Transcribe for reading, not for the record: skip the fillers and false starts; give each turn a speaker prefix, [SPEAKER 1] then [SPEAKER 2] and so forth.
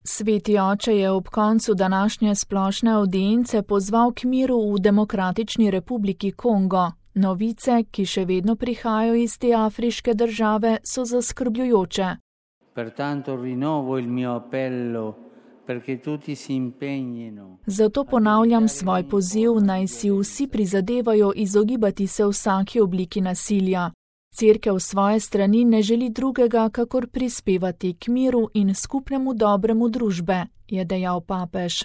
[SPEAKER 1] Sveti oče je ob koncu današnje splošne avdience pozval k miru v Demokratični republiki Kongo. Novice, ki še vedno prihajajo iz te afriške države, so zaskrbljujoče.
[SPEAKER 2] Pertanto rinnovo il mio appello perché tutti si impegnino.
[SPEAKER 1] Zato ponavljam svoj poziv, naj si vsi prizadevajo izogibati se vsaki obliki nasilja. Cerkev svoje strani ne želi drugega, kakor prispevati k miru in skupnemu dobremu družbe, je dejal papež.